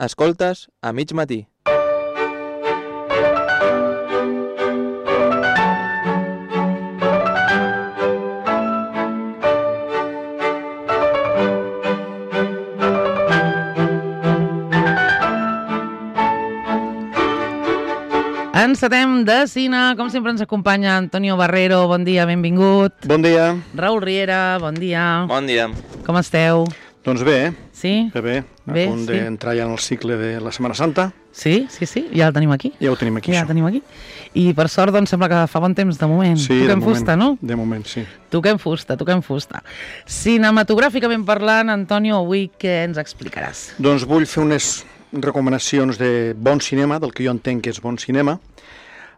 Escoltes a mig matí. Encetem de cine, com sempre ens acompanya Antonio Barrero, bon dia, benvingut. Bon dia. Raül Riera, bon dia. Bon dia. Com esteu? Doncs bé, Sí? bé, a punt d'entrar ja en el cicle de la Setmana Santa. Sí, ja el tenim aquí. Ja ho tenim aquí, Ja això. el tenim aquí. I per sort, doncs, sembla que fa bon temps de moment. Sí, Toquem de moment, fusta, no? De moment, sí. Toquem fusta. Cinematogràficament parlant, Antonio, avui què ens explicaràs? Doncs vull fer unes recomanacions de bon cinema, del que jo entenc que és bon cinema,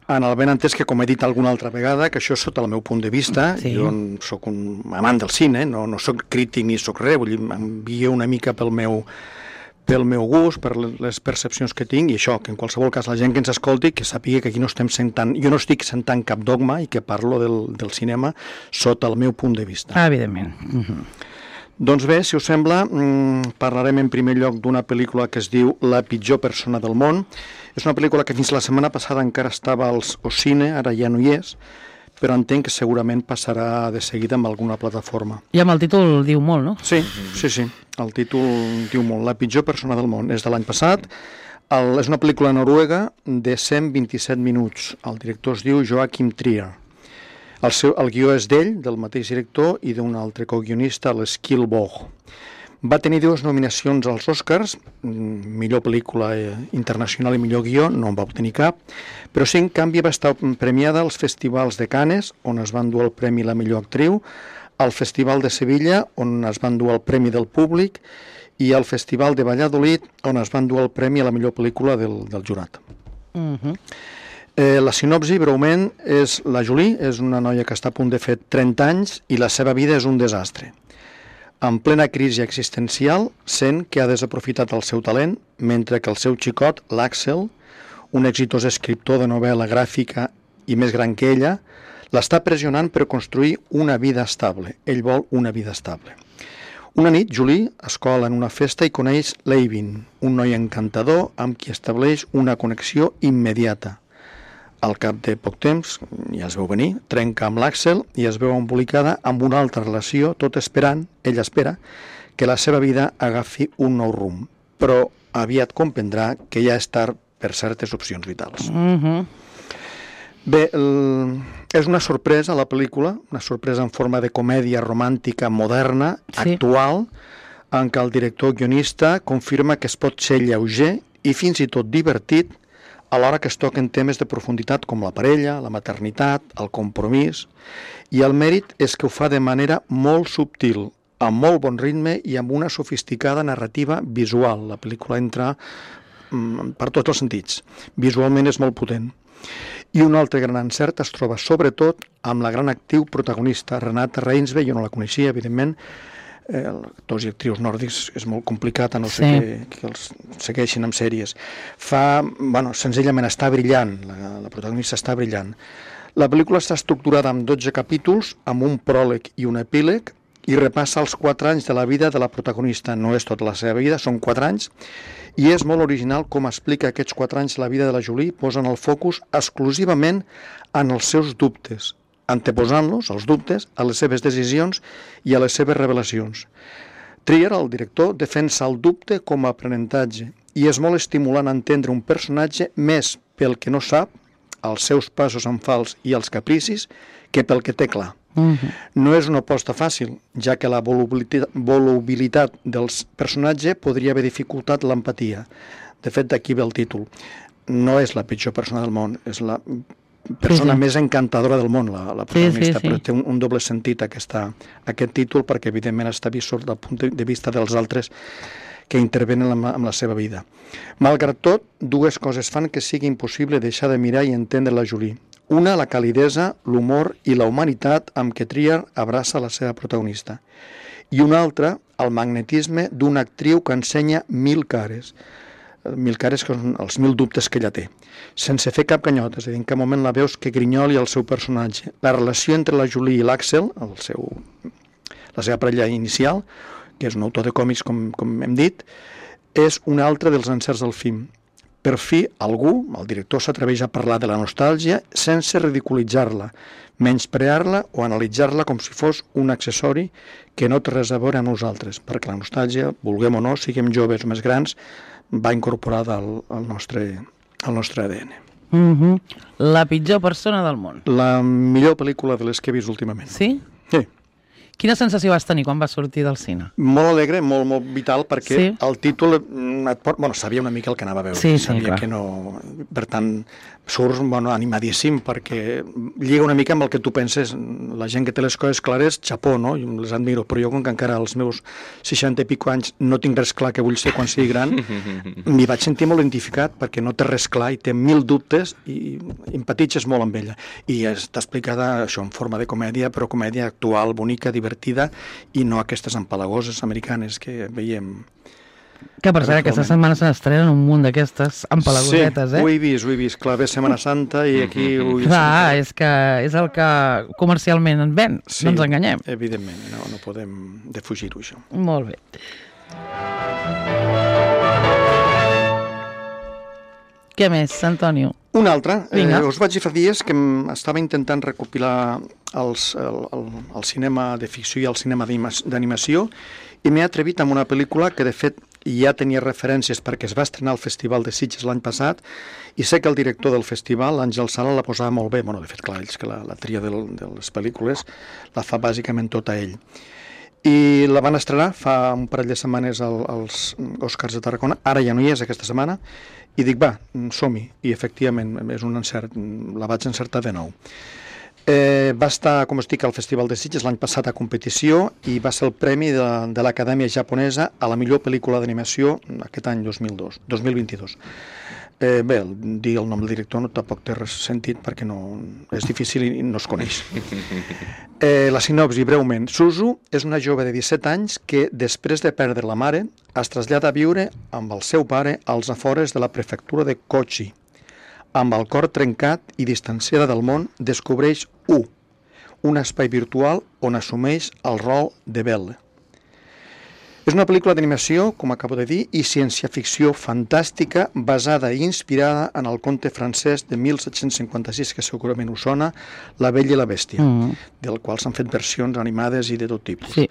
en el ben entès que, com he dit alguna altra vegada, que això és sota el meu punt de vista, Sí. jo sóc un amant del cine, no sóc crític ni sóc res, vull dir, em guio una mica pel meu gust, per les percepcions que tinc, i això, que en qualsevol cas la gent que ens escolti, que sàpiga que aquí no estem sentant, jo no estic sentant cap dogma i que parlo del cinema sota el meu punt de vista. Evidentment. Doncs bé, si us sembla, parlarem en primer lloc d'una pel·lícula que es diu La pitjor persona del món. És una pel·lícula que fins la setmana passada encara estava al cine, ara ja no hi és, però entenc que segurament passarà de seguida amb alguna plataforma. I amb el títol diu molt, no? Sí, el títol diu molt. La pitjor persona del món. És de l'any passat. És una pel·lícula noruega de 127 minuts. El director es diu Joachim Trier. El guió és d'ell, del mateix director, i d'un altre co-guionista, l'Eskil Våg. Va tenir 2 nominacions als Oscars, millor pel·lícula internacional i millor guió, no en va obtenir cap, però sí, en canvi, va estar premiada als festivals de Cannes, on es van dur el premi la millor actriu, al Festival de Sevilla, on es van dur el premi del públic, i al Festival de Valladolid, on es van dur el premi a la millor pel·lícula del jurat. La sinopsi, breument, és la Julie, és una noia que està a punt de fer 30 anys i la seva vida és un desastre. En plena crisi existencial, sent que ha desaprofitat el seu talent, mentre que el seu xicot, l'Axel, un exitós escriptor de novel·la gràfica i més gran que ella, l'està pressionant per construir una vida estable. Ell vol una vida estable. Una nit, Julie es cola en una festa i coneix l'Eivin, un noi encantador amb qui estableix una connexió immediata. Al cap de poc temps, ja es veu venir, trenca amb l'Axel i es veu embolicada amb una altra relació, tot esperant, ella espera, que la seva vida agafi un nou rumb. Però aviat comprendrà que ja és tard per certes opcions vitals. Bé, és una sorpresa la pel·lícula, una sorpresa en forma de comèdia romàntica moderna, actual, en què el director-guionista confirma que es pot ser lleuger i fins i tot divertit alhora que es toquen temes de profunditat com la parella, la maternitat, el compromís, i el mèrit és que ho fa de manera molt subtil, amb molt bon ritme i amb una sofisticada narrativa visual. La pel·lícula entra per tots els sentits. Visualment és molt potent. I un altre gran encert es troba sobretot amb la gran actriu protagonista, Renate Reinsve. Jo no la coneixia, evidentment. Actors i actrius nòrdics és molt complicat, a no ser que els segueixin amb sèries. Senzillament està brillant, la protagonista està brillant. La pel·lícula està estructurada en 12 capítols, amb un pròleg i un epíleg, i repassa els 4 anys de la vida de la protagonista. No és tota la seva vida, són 4 anys, i és molt original com explica aquests 4 anys la vida de la Julie, posant el focus exclusivament en els seus dubtes, anteposant-los, els dubtes, a les seves decisions i a les seves revelacions. Trier, el director, defensa el dubte com a aprenentatge i és molt estimulant entendre un personatge més pel que no sap, els seus passos en fals i els capricis, que pel que té clar. No és una aposta fàcil, ja que la volubilitat del personatge podria haver dificultat l'empatia. De fet, d'aquí ve el títol. No és la pitjor persona del món, és la persona més encantadora del món, la protagonista, però té un doble sentit aquest títol, perquè evidentment està vist des del punt de vista dels altres que intervenen en la seva vida. Malgrat tot, 2 coses fan que sigui impossible deixar de mirar i entendre la Julie. Una, la calidesa, l'humor i la humanitat amb què Trier abraça la seva protagonista. I una altra, el magnetisme d'una actriu que ensenya 1000 cares. 1000 cares que són els 1000 dubtes que ella té. Sense fer cap canyot, és a dir, en cap moment la veus que grinyoli el seu personatge. La relació entre la Julie i l'Axel, la seva parella inicial, que és un autor de còmics, com hem dit, és un altre dels encerts del film. Per fi, algú, el director, s'atreveix a parlar de la nostàlgia sense ridiculitzar-la, menysprear-la o analitzar-la com si fos un accessori que no té res a veure amb nosaltres, perquè la nostàlgia, vulguem o no, siguem joves o més grans, va incorporada al nostre ADN. La pitjor persona del món. La millor pel·lícula de les que he vist últimament. Sí? Sí. Quina sensació vas tenir quan vas sortir del cine? Molt alegre, molt vital, perquè Sí. el títol et pot... Bueno, sabia una mica el que anava a veure. Sí, sabia clar. que no... Per tant, surts animadíssim perquè lliga una mica amb el que tu penses. La gent que té les coses clares, xapó, no? Jo les admiro, però jo com que encara als meus 60 i pico anys no tinc res clar que vull ser quan sigui gran, m'hi vaig sentir molt identificat perquè no té res clar i té 1000 dubtes i empatitges molt amb ella. I està explicada això en forma de comèdia, però comèdia actual, bonica, divertida, i no aquestes empalagoses americanes que veiem. Que per cert, aquesta setmana se n'estrenen un munt d'aquestes empalagosetes, Sí, ho he vist. Clar, ve Setmana Santa i aquí... Clar, és que és el que comercialment en ven, Sí, no ens enganyem. Evidentment, no podem defugir-ho, això. Molt bé. Què més, Antonio? Una altra. Vinga. Us vaig dir fa dies que estava intentant recopilar el cinema de ficció i el cinema d'animació i m'he atrevit amb una pel·lícula que, de fet, ja tenia referències perquè es va estrenar al Festival de Sitges l'any passat i sé que el director del festival, l'Àngel Sala, la posava molt bé. Bueno, de fet, clar, ells que la tria de les pel·lícules la fa bàsicament tota ell. I la van estrenar fa un parell de setmanes als Oscars de Tarragona. Ara ja no hi és aquesta setmana. I dic, va, som-hi. I efectivament és un encert, la vaig encertar de nou. Va estar, com us dic, al Festival de Sitges l'any passat a competició i va ser el premi de l'Acadèmia Japonesa a la millor pel·lícula d'animació aquest any 2022. Bé, dir el nom del director no tampoc té res sentit perquè és difícil i no es coneix. La sinopsi, breument. Suzu és una jove de 17 anys que, després de perdre la mare, es trasllada a viure amb el seu pare als afores de la prefectura de Kochi. Amb el cor trencat i distanciada del món, descobreix un espai virtual on assumeix el rol de Belle. És una pel·lícula d'animació, com acabo de dir, i ciència-ficció fantàstica basada i inspirada en el conte francès de 1756, que segurament us sona, La Bella i la Bèstia, del qual s'han fet versions animades i de tot tipus. Sí.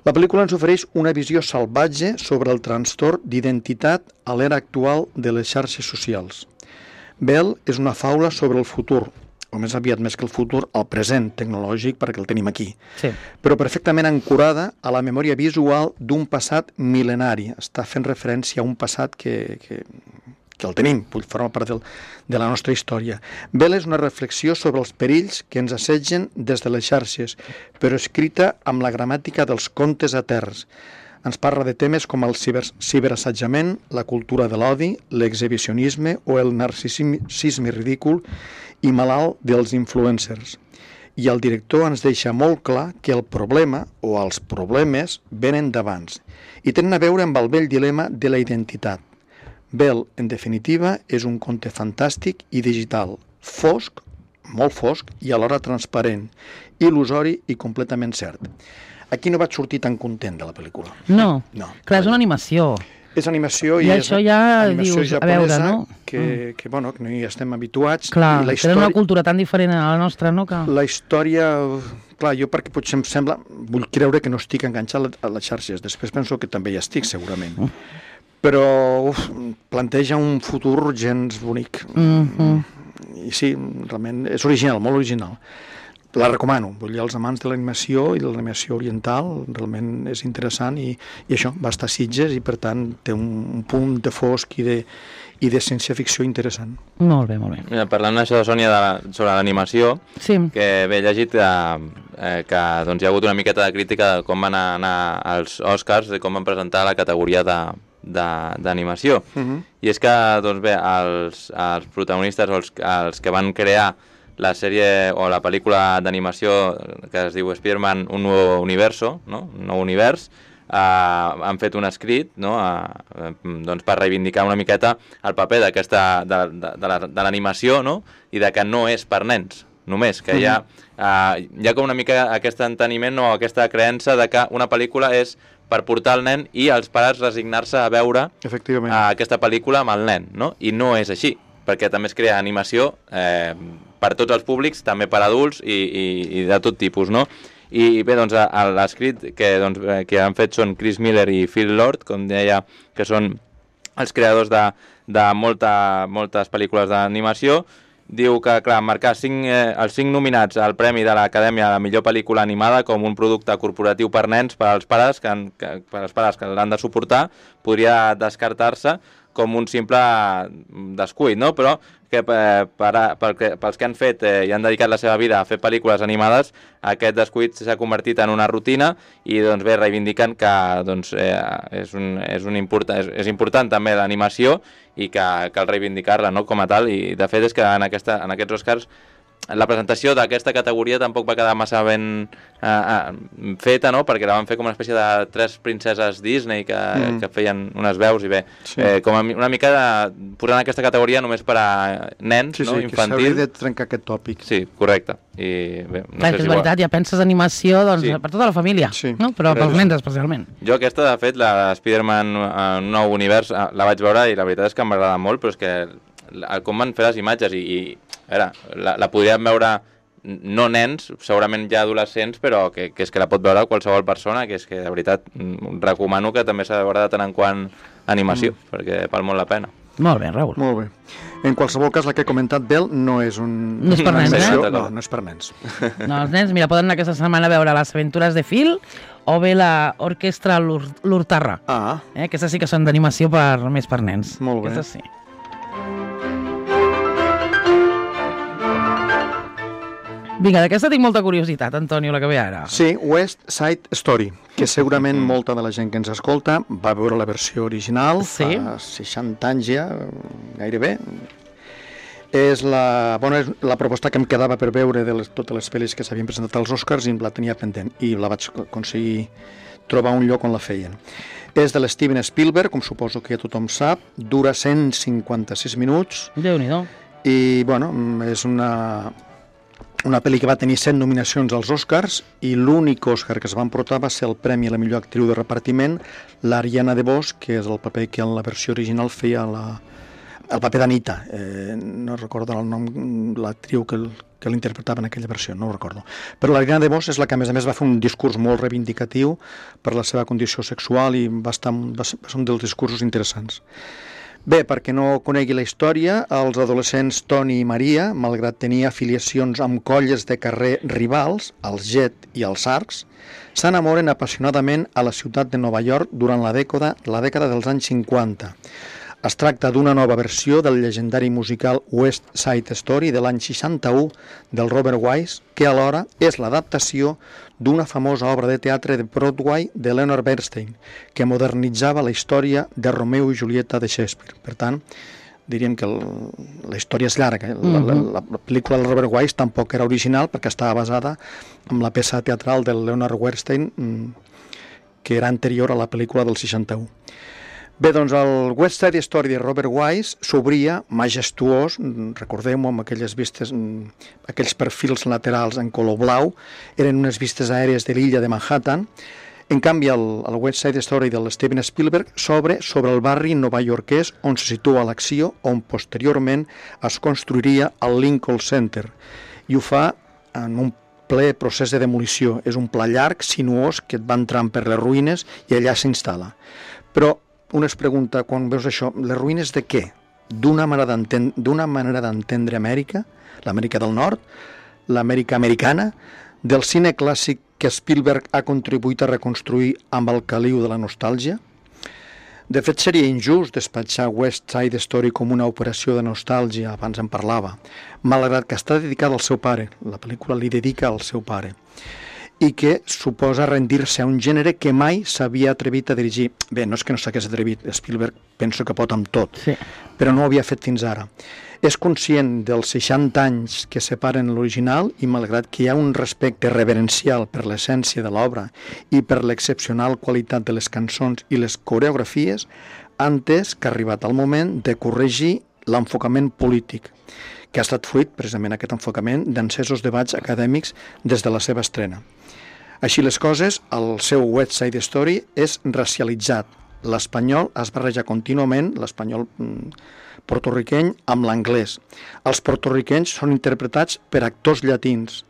La pel·lícula ens ofereix una visió salvatge sobre el trastorn d'identitat a l'era actual de les xarxes socials. Belle és una faula sobre el futur, o més aviat més que el futur, el present tecnològic, perquè el tenim aquí. Sí. Però perfectament ancorada a la memòria visual d'un passat mil·lenari. Està fent referència a un passat que el tenim, forma part de la nostra història. Belle és una reflexió sobre els perills que ens assetgen des de les xarxes, però escrita amb la gramàtica dels contes eterns. Ens parla de temes com el ciberassetjament, la cultura de l'odi, l'exhibicionisme o el narcisisme ridícul i malalt dels influencers. I el director ens deixa molt clar que el problema o els problemes venen d'abans i tenen a veure amb el vell dilema de la identitat. Belle, en definitiva, és un conte fantàstic i digital, fosc, molt fosc i alhora transparent, il·lusori i completament cert. Aquí no vaig sortir tan content de la pel·lícula. No. Clar, és una animació. És animació i és això ja animació dius, a japonesa, veure, no? que no hi estem habituats. Clar, I la tenen una cultura tan diferent a la nostra, no? Que... La història... Clar, jo perquè potser em sembla... Vull creure que no estic enganxat a les xarxes. Després penso que també hi estic, segurament. Però planteja un futur gens bonic. I sí, realment és original, molt original. La recomano, vull dir, als amants de l'animació i de l'animació oriental, realment és interessant i això, va estar a Sitges i per tant té un punt de fosc i de ciència-ficció interessant. Molt bé, molt bé. Mira, parlant d'això, Sònia, sobre l'animació, Sí. que bé, he llegit que doncs, hi ha hagut una miqueta de crítica de com van anar als Oscars, de com van presentar la categoria d'animació. I és que, doncs bé, els protagonistes o els que van crear la sèrie o la pel·lícula d'animació que es diu Spider-Man Un nou universo, no? Un nou univers, han fet un escrit, no? Doncs per reivindicar una miqueta el paper de l'animació, no? I de que no és per nens, només, que hi ha com una mica aquest enteniment o aquesta creença de que una pel·lícula és per portar el nen i els pares resignar-se a veure aquesta pel·lícula amb el nen, no? I no és així, perquè també es crea animació per tots els públics, també per adults i de tot tipus, no? I bé, doncs, l'escrit que han fet són Chris Miller i Phil Lord, com deia, que són els creadors de moltes pel·lícules d'animació. Diu que, clar, marcar els 5 nominats al Premi de l'Acadèmia a la millor pel·lícula animada com un producte corporatiu per nens, per als pares que l'han de suportar, podria descartar-se com un simple descuit, no? Però que pels que han fet i han dedicat la seva vida a fer pel·lícules animades, aquest descuit s'ha convertit en una rutina i doncs bé, reivindiquen que doncs, és important també l'animació i que cal reivindicar-la, no?, com a tal, i de fet és que en aquests Oscars la presentació d'aquesta categoria tampoc va quedar massa ben feta, no?, perquè la van fer com una espècie de 3 princeses Disney que feien unes veus i bé, com una mica posant aquesta categoria només per a nens, no?, infantil. Que s'hauria de trencar aquest tòpic. Sí, correcte. I bé, no sé és veritat, ja penses animació per tota la família, no?, però pels nens especialment. Jo aquesta, de fet, la Spider-Man un nou univers, la vaig veure i la veritat és que m'agrada molt, però és que com van fer les imatges i la podríem veure no nens, segurament ja adolescents, però que és que la pot veure qualsevol persona, que és que de veritat recomano que també s'ha de veure de tant en quant animació, perquè val molt la pena. Molt bé, Raül. Molt bé. En qualsevol cas, la que he comentat Bel no és no és per nens, no és per nens. No, els nens, mira, poden anar aquesta setmana a veure Les aventures de Phil o bé la Orquestra l'Urtarra. Aquestes sí que són d'animació més per nens. Molt bé. Aquestes sí. Vinga, d'aquesta tinc molta curiositat, Antonio, la que ve ara. Sí, West Side Story, que segurament molta de la gent que ens escolta va veure la versió original fa 60 anys ja, gairebé. És la proposta que em quedava per veure de totes les pel·lis que s'havien presentat als Oscars i la tenia pendent, i la vaig aconseguir trobar un lloc on la feien. És de l'Steven Spielberg, com suposo que ja tothom sap, dura 156 minuts. Déu-n'hi-do. I, bueno, és una pel·li que va tenir 7 nominacions als Oscars i l'únic Oscar que es va emportar va ser el premi a la millor actriu de repartiment, l'Ariana DeBose, que és el paper que en la versió original feia el paper d'Anita. No recordo el nom, l'actriu que l'interpretava en aquella versió, no ho recordo. Però l'Ariana DeBose és la que a més va fer un discurs molt reivindicatiu per la seva condició sexual i va ser un dels discursos interessants. Bé, perquè no conegui la història, els adolescents Tony i Maria, malgrat tenir afiliacions amb colles de carrer rivals, els Jet i els Arcs, s'enamoren apassionadament a la ciutat de Nova York durant la dècada dels anys 50. Es tracta d'una nova versió del llegendari musical West Side Story de l'any 61 del Robert Wise, que alhora és l'adaptació d'una famosa obra de teatre de Broadway de Leonard Bernstein, que modernitzava la història de Romeo i Julieta de Shakespeare. Per tant, diríem que la història és llarga. La pel·lícula del Robert Wise tampoc era original perquè estava basada en la peça teatral de Leonard Bernstein, que era anterior a la pel·lícula del 61. Bé, doncs el West Side Story de Robert Wise s'obria majestuós, recordem-ho, amb aquelles vistes, aquells perfils laterals en color blau, eren unes vistes aèries de l'illa de Manhattan. En canvi, el West Side Story de Steven Spielberg s'obre sobre el barri novaiorquès on se situa l'acció, on posteriorment es construiria el Lincoln Center, i ho fa en un ple procés de demolició. És un pla llarg, sinuós, que et va entrant per les ruïnes i allà s'instal·la. Però un es pregunta, quan veus això, les ruïnes de què? D'una manera d'entendre Amèrica, l'Amèrica del Nord, l'Amèrica americana, del cine clàssic que Spielberg ha contribuït a reconstruir amb el caliu de la nostàlgia? De fet, seria injust despatxar West Side Story com una operació de nostàlgia, abans en parlava, malgrat que està dedicada al seu pare, la pel·lícula li dedica al seu pare, i que suposa rendir-se a un gènere que mai s'havia atrevit a dirigir. Bé, no és que no s'hagués atrevit, Spielberg penso que pot amb tot, però no ho havia fet fins ara. És conscient dels 60 anys que separen l'original i malgrat que hi ha un respecte reverencial per l'essència de l'obra i per l'excepcional qualitat de les cançons i les coreografies, ha entès que ha arribat el moment de corregir l'enfocament polític, que ha estat fruit, precisament aquest enfocament, d'encesos debats acadèmics des de la seva estrena. Així les coses, el seu West Side Story és racialitzat. L'espanyol es barreja contínuament, l'espanyol portorriqueny, amb l'anglès. Els portorriquenys són interpretats per actors llatins.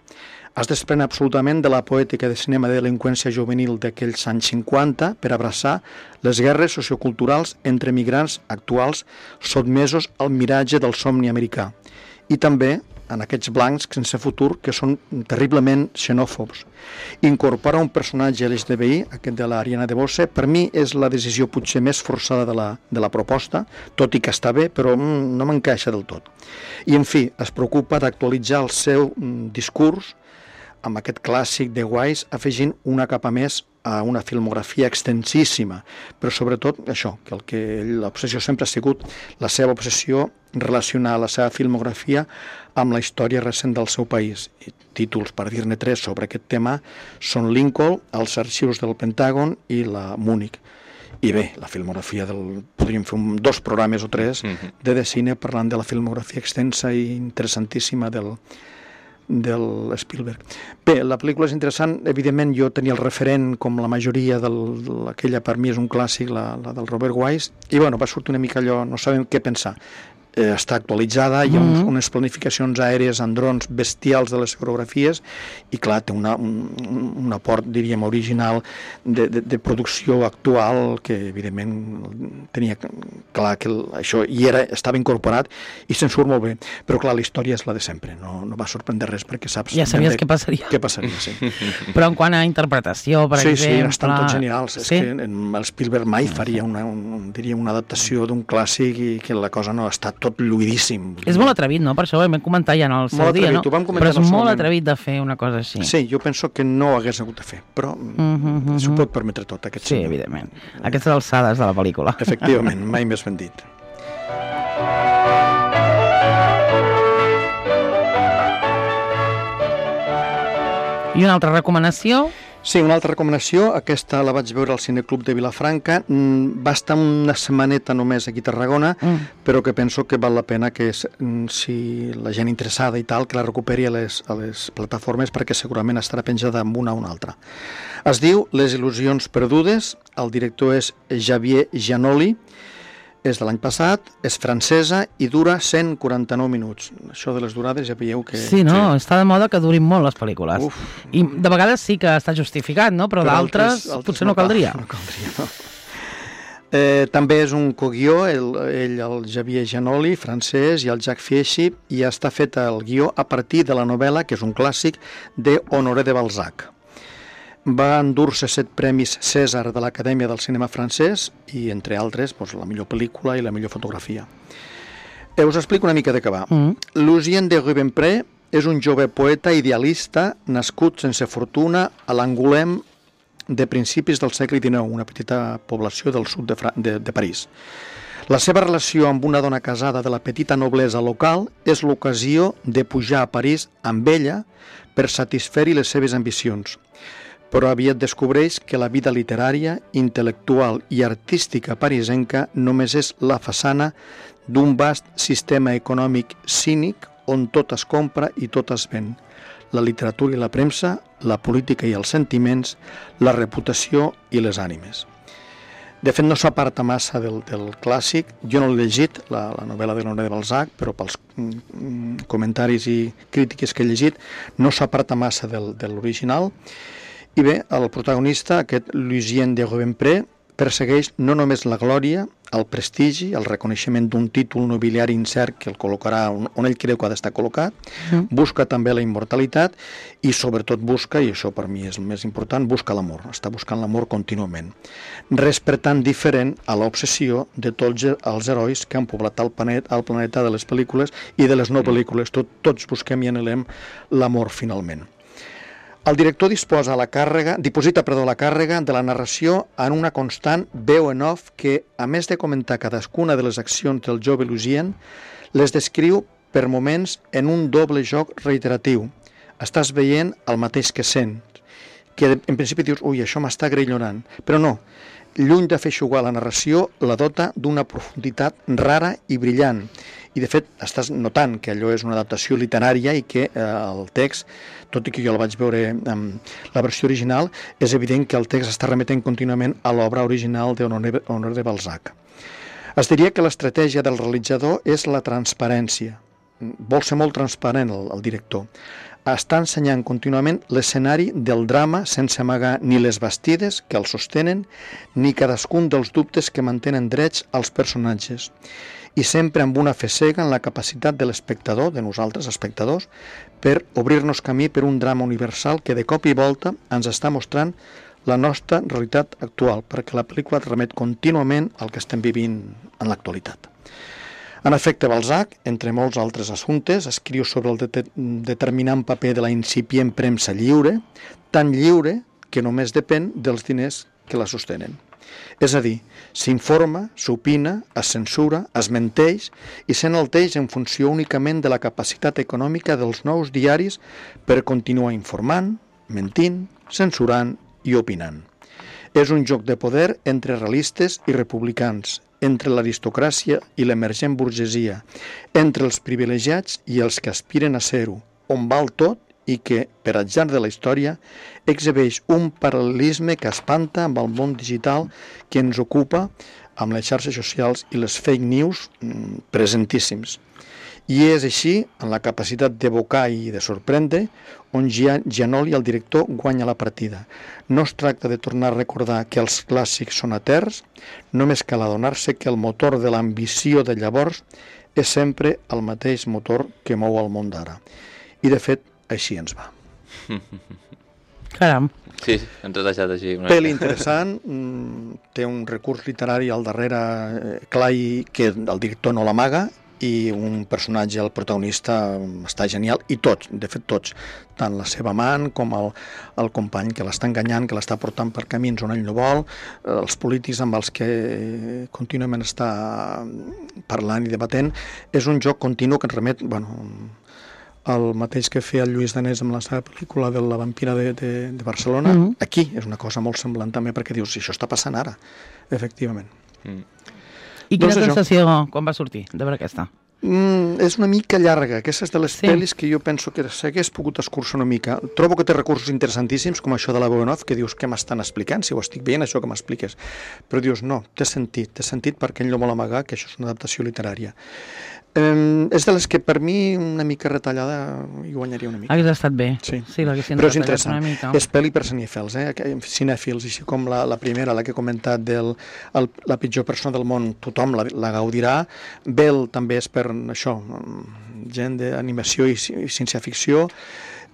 Es desprèn absolutament de la poètica de cinema de delinqüència juvenil d'aquells anys 50 per abraçar les guerres socioculturals entre migrants actuals sotmesos al miratge del somni americà. I també en aquests blancs sense futur que són terriblement xenòfobs. Incorporar un personatge LGTBI, aquest de l'Ariana DeBose, per mi és la decisió potser més forçada de la proposta, tot i que està bé, però no m'encaixa del tot. I, en fi, es preocupa d'actualitzar el seu discurs amb aquest clàssic de Wise, afegint una capa més a una filmografia extensíssima, però sobretot això, que l'obsessió sempre ha sigut la seva obsessió relacionar la seva filmografia amb la història recent del seu país. I títols, per dir-ne 3 sobre aquest tema, són Lincoln, els arxius del Pentàgon i la Múnich. I bé, la filmografia podríem fer 2 programes o 3 de cine parlant de la filmografia extensa i interessantíssima del Spielberg. Bé, la pel·lícula és interessant, evidentment jo tenia el referent com la majoria aquella per mi és un clàssic, la del Robert Wise, i bueno, va sortir una mica allò, no sabem què pensar. Està actualitzada, hi ha unes planificacions aèries en drons bestials de les coreografies i clar, té un aport, diríem, original de producció actual que evidentment tenia clar que això estava incorporat i se'n surt molt bé, però clar, la història és la de sempre, no va sorprendre res perquè saps... Ja sabies què passaria. Què passaria, sí. Però en quant a interpretació, per exemple... Sí, estan tots genials. És que el Spielberg mai faria una adaptació d'un clàssic i que la cosa no està tot lluïdíssim. És molt atrevit, no? Per això ho vam comentar ja en el seu dia, no? Però és molt atrevit de fer una cosa així. Sí, jo penso que no ho hagués hagut de fer, però s'ho pot permetre tot, aquest senyor. Sí, evidentment. Aquestes alçades de la pel·lícula. Efectivament, mai més ben dit. I una altra recomanació? Sí, una altra recomanació, aquesta la vaig veure al Cineclub de Vilafranca, va estar una setmaneta només aquí a Tarragona, però que penso que val la pena que si la gent interessada i tal, que la recuperi a les plataformes perquè segurament estarà penjada amb una o una altra. Es diu Les il·lusions perdudes, el director és Xavier Giannoli, és de l'any passat, és francesa i dura 149 minuts. Això de les durades ja veieu que... Sí, no? Està de moda que durin molt les pel·lícules. I de vegades sí que està justificat, no? Però d'altres potser no caldria. No caldria, no. També és un coguió, el Xavier Giannoli, francès, i el Jacques Fieschi, i està fet el guió a partir de la novel·la, que és un clàssic, de Honoré de Balzac. Va endur-se 7 premis Cèsar de l'Acadèmia del Cinema Francès i, entre altres, la millor pel·lícula i la millor fotografia. Us explico una mica de què va. Lucien de Rubempré és un jove poeta idealista nascut sense fortuna a l'Angoulême de principis del segle XIX, una petita població del sud de París. La seva relació amb una dona casada de la petita noblesa local és l'ocasió de pujar a París amb ella per satisfer-hi les seves ambicions. Però aviat descobreix que la vida literària, intel·lectual i artística parisenca només és la façana d'un vast sistema econòmic cínic on tot es compra i tot es ven. La literatura i la premsa, la política i els sentiments, la reputació i les ànimes. De fet, no s'aparta massa del clàssic. Jo no l'he llegit, la novel·la de Honoré de Balzac, però pels comentaris i crítiques que he llegit, no s'aparta massa de l'original. I bé, el protagonista, aquest Lucien de Rubempré, persegueix no només la glòria, el prestigi, el reconeixement d'un títol nobiliari incert que el col·locarà on ell creu que ha d'estar col·locat, busca també la immortalitat i sobretot busca, i això per mi és el més important, busca l'amor, està buscant l'amor contínuament. Res per tant diferent a l'obsessió de tots els herois que han poblat el planeta de les pel·lícules i de les no pel·lícules, tots busquem i anhelem l'amor finalment. El director diposita la càrrega de la narració en una constant veu en off que, a més de comentar cadascuna de les accions del jove Lucien, les descriu per moments en un doble joc reiteratiu. Estàs veient el mateix que sents, que en principi dius, ui, això m'està grillonant, però no. Lluny de fer eixugar la narració, la dota d'una profunditat rara i brillant, I, de fet, estàs notant que allò és una adaptació literària i que el text, tot i que jo el vaig veure en la versió original, és evident que el text està remetent contínuament a l'obra original d'Honoré de Balzac. Es diria que l'estratègia del realitzador és la transparència. Vol ser molt transparent el director. Està ensenyant contínuament l'escenari del drama sense amagar ni les bastides que el sostenen ni cadascun dels dubtes que mantenen drets als personatges, i sempre amb una fe cega en la capacitat de l'espectador, de nosaltres espectadors, per obrir-nos camí per un drama universal que de cop i volta ens està mostrant la nostra realitat actual, perquè la pel·lícula remet contínuament al que estem vivint en l'actualitat. En efecte, Balzac, entre molts altres assumptes, escriu sobre el determinant paper de la incipient premsa lliure, tan lliure que només depèn dels diners que la sostenen. És a dir, s'informa, s'opina, es censura, es menteix i s'enalteix en funció únicament de la capacitat econòmica dels nous diaris per continuar informant, mentint, censurant i opinant. És un joc de poder entre realistes i republicans, entre l'aristocràcia i l'emergent burgesia, entre els privilegiats i els que aspiren a ser-ho, on val tot i que, per atzar de la història, exhibeix un paral·lelisme que espanta amb el món digital que ens ocupa, amb les xarxes socials i les fake news presentíssims. I és així, en la capacitat d'evocar i de sorprendre, on Giannoli, el director, guanya la partida. No es tracta de tornar a recordar que els clàssics són eterns, només cal adonar-se que el motor de l'ambició de llavors és sempre el mateix motor que mou el món d'ara. I, de fet, així ens va. Caram. Sí, ens has deixat així. Pel interessant, té un recurs literari al darrere clar i que el director no l'amaga, i un personatge, el protagonista, està genial, i tots, de fet tots, tant la seva amant com el company que l'està enganyant, que l'està portant per camins on ell no vol, els polítics amb els que contínuament està parlant i debatent. És un joc continu que ens remet, el mateix que feia el Lluís Danés amb la seva pel·lícula de la vampira de Barcelona. Aquí és una cosa molt semblant també, perquè dius, si això està passant ara, efectivament. I quina sensació quan va sortir de veure aquesta? És una mica llarga. Aquesta és de les pel·lis que jo penso que s'hagués pogut escurçar una mica. Trobo que té recursos interessantíssims, com això de la veu en off, que dius, què m'estan explicant? Si ho estic veient, això que m'expliques. Però dius, no, té sentit perquè ell no vol amagar que això és una adaptació literària. És de les que per mi una mica retallada hi guanyaria una mica. Hauria estat bé. Sí, però és interessant. És pel·li per cinèfils, cinèfils, així com la primera, la que he comentat la pitjor persona del món, tothom la gaudirà. Bell també és per això, gent d'animació i ciència-ficció.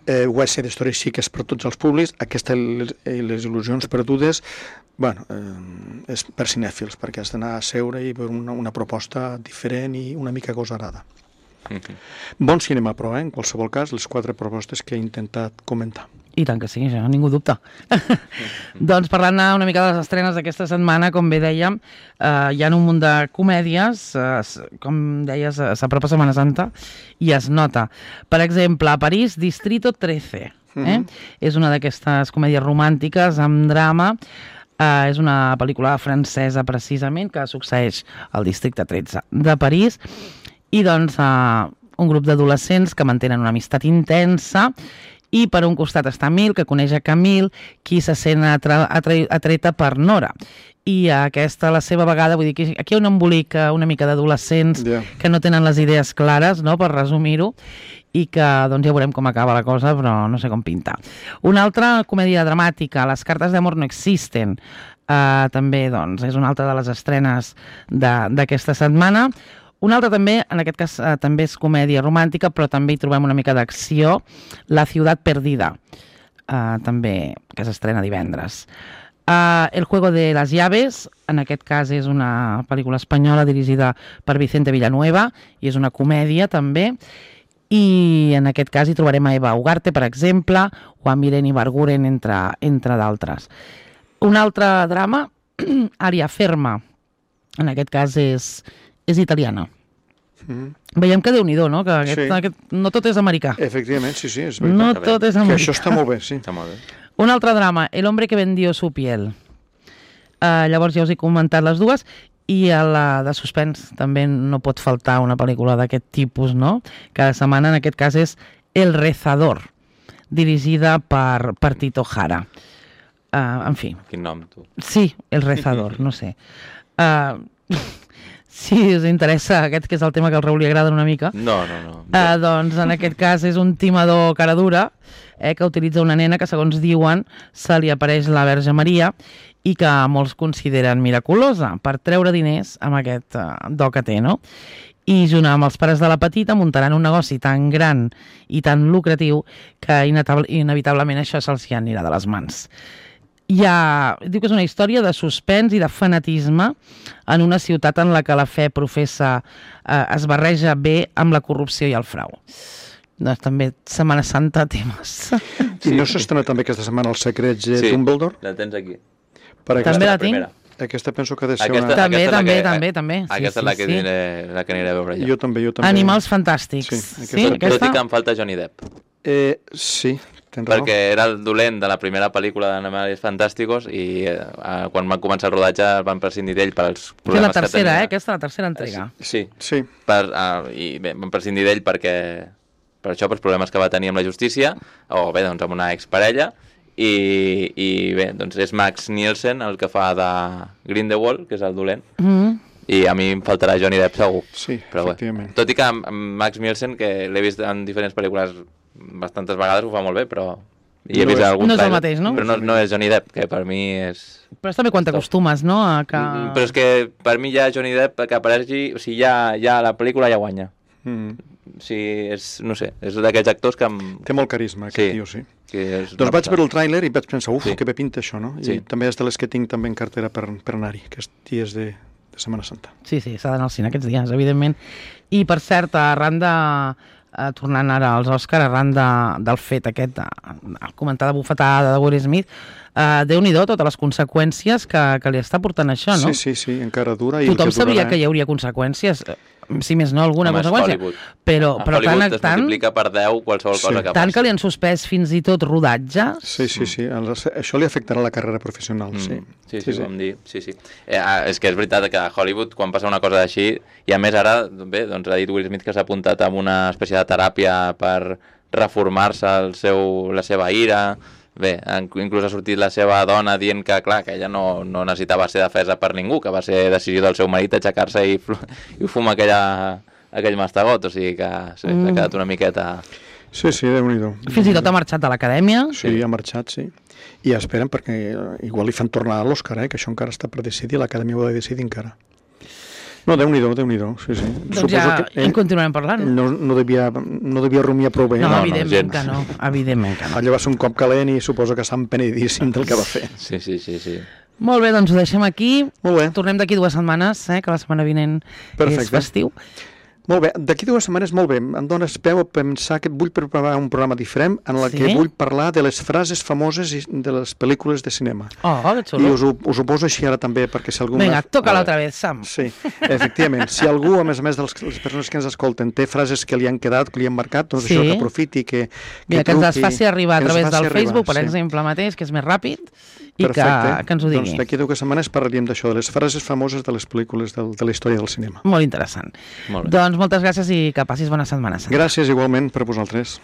West Side Story sí que és per tots els públics. Aquesta, les il·lusions perdudes, és per cinèfils, perquè has d'anar a seure i veure una proposta diferent i una mica agosarada. Bon cinema, però, en qualsevol cas, les 4 propostes que he intentat comentar. I tant que sí, això ningú dubta. Doncs parlant una mica de les estrenes d'aquesta setmana, com bé dèiem, hi ha un munt de comèdies, com deies, s'apropa Setmana Santa, i es nota. Per exemple, a París, Distrito 13. És una d'aquestes comèdies romàntiques amb drama. És una pel·lícula francesa, precisament, que succeeix al districte 13 de París. I, doncs, un grup d'adolescents que mantenen una amistat intensa. I per un costat està Emil, que coneix a Camille, qui se sent atreta per Nora. I aquesta, a la seva vegada, vull dir que aquí hi ha un embolic una mica d'adolescents que no tenen les idees clares, no?, per resumir-ho, i que doncs ja veurem com acaba la cosa, però no sé com pinta. Una altra comèdia dramàtica, Les cartes d'amor no existen, també doncs, és una altra de les estrenes d'aquesta setmana. Una altra també, en aquest cas també és comèdia romàntica, però també hi trobem una mica d'acció, La ciutat perdida, també, que s'estrena divendres. El juego de las llaves, en aquest cas és una pel·lícula espanyola dirigida per Vicente Villanueva, i és una comèdia també, i en aquest cas hi trobarem a Eva Ugarte, per exemple, o a Miren Ibarguren, entre d'altres. Un altre drama, Aria Ferma, en aquest cas és italiana. Veiem que Déu-n'hi-do, no? Que no tot és americà. Efectivament, sí, és veritat. No tot és americà. Que això està molt bé, sí. Està molt bé. Un altre drama, El hombre que vendió su piel. Llavors ja us he comentat les dues. I a la de suspens també no pot faltar una pel·lícula d'aquest tipus, no? Cada setmana, en aquest cas, és El Rezador, dirigida per Tito Jara. En fi. Quin nom, tu? Sí, El Rezador, no sé. Si us interessa aquest, que és el tema que al Raül li agrada una mica, No. doncs en aquest cas és un timador cara dura que utilitza una nena que, segons diuen, se li apareix la Verge Maria i que molts consideren miraculosa per treure diners amb aquest do que té, no? I junt amb els pares de la petita muntaran un negoci tan gran i tan lucratiu que inevitablement això se'ls hi anirà de les mans. Diu que és una història de suspens i de fanatisme en una ciutat en la que la fe professa es barreja bé amb la corrupció i el frau. Doncs també Setmana Santa temes. I no s'estrena també aquesta setmana Els secrets de Dumbledore? Sí, la tens aquí. També la tinc. Aquesta penso que ha de ser Aquesta, una... També. Aquesta és la que aniré a veure ja. Jo també. Animals fantàstics. Sí, Tot i que em falta Johnny Depp. Sí, tens raó. Perquè era el dolent de la primera pel·lícula d'Animals Fantàsticos i quan van començar el rodatge van prescindir d'ell per als problemes que tenia. Aquesta és la tercera entrega. Sí. I bé, van prescindir d'ell per això, pels problemes que va tenir amb la justícia, o bé, doncs amb una exparella, i bé, doncs és Max Nielsen el que fa de Grindelwald, que és el dolent, i a mi em faltarà Johnny Depp segur. Sí, però efectivament. Tot i que amb Max Nielsen, que l'he vist en diferents pel·lícules bastantes vegades, ho fa molt bé, però i he vist algun no és el mateix, no? Però no és Johnny Depp, que per mi és... Però és també quan t'acostumes, no? Però és que per mi ja Johnny Depp que apareixi, o sigui, ja la pel·lícula ja guanya. O sigui, no sé, és d'aquests actors que... Té molt carisma, aquest tio, sí. Doncs vaig veure el tràiler i vaig pensar, que bé pinta això, no? Sí. I també és de les que tinc també en cartera per anar-hi, aquests dies de Setmana Santa. Sí, s'ha d'anar al cine aquests dies, evidentment. I, per cert, arran de... tornant ara als Òscar, arran del fet aquest, comentar de bufetada de Will Smith, Déu-n'hi-do totes les conseqüències que li està portant això, no? Sí, encara dura. Tothom sabia que hi hauria conseqüències, si més no alguna conseqüència, però Hollywood es multiplica per 10 qualsevol cosa que tant que li han suspès fins i tot rodatges. Sí, això li afectarà la carrera professional, sí. Sí, vam dir, sí. És que és veritat que a Hollywood, quan passa una cosa així, i a més ara, bé, doncs ha dit Will Smith que s'ha apuntat a una espècie de teràpia per reformar-se la seva ira. Bé, inclús ha sortit la seva dona dient que, clar, que ella no necessitava ser defesa per ningú, que va ser decisió del seu marit aixecar-se i fumar aquell mastegot, o sigui que s'ha quedat una miqueta... Sí, Déu-n'hi-do. Fins i tot ha marxat de l'acadèmia. Sí, ha marxat, sí. I esperen perquè igual li fan tornar a l'Òscar, que això encara està per decidir, l'acadèmia ho ha de decidir encara. No, Déu-n'hi-do, sí. Doncs ja en continuarem parlant. No devia rumiar prou bé. No, evidentment que no. Allò va ser un cop calent i suposo que està empenedíssim del que va fer. Sí. Molt bé, doncs ho deixem aquí. Molt bé. Tornem d'aquí 2 setmanes, que la setmana vinent és festiu. Molt bé, d'aquí 2 setmanes, molt bé, em dones peu a pensar que vull preparar un programa diferent en el que vull parlar de les frases famoses de les pel·lícules de cinema. Que xulo. I us ho poso així ara també, perquè si algú... Vinga, toca l'altra vez, Sam. Sí, efectivament. Si algú, a més de les persones que ens escolten, té frases que li han quedat, que li han marcat, doncs això, que aprofiti, que ens les faci arribar a través del Facebook, per exemple, mateix, que és més ràpid, i que ens ho digui. Doncs d'aquí 2 setmanes parlaríem d'això, de les frases famoses de les pel·lícules de la història del cinema. Molt interessant. Doncs moltes gràcies i que passis bona setmana. Gràcies igualment per vosaltres.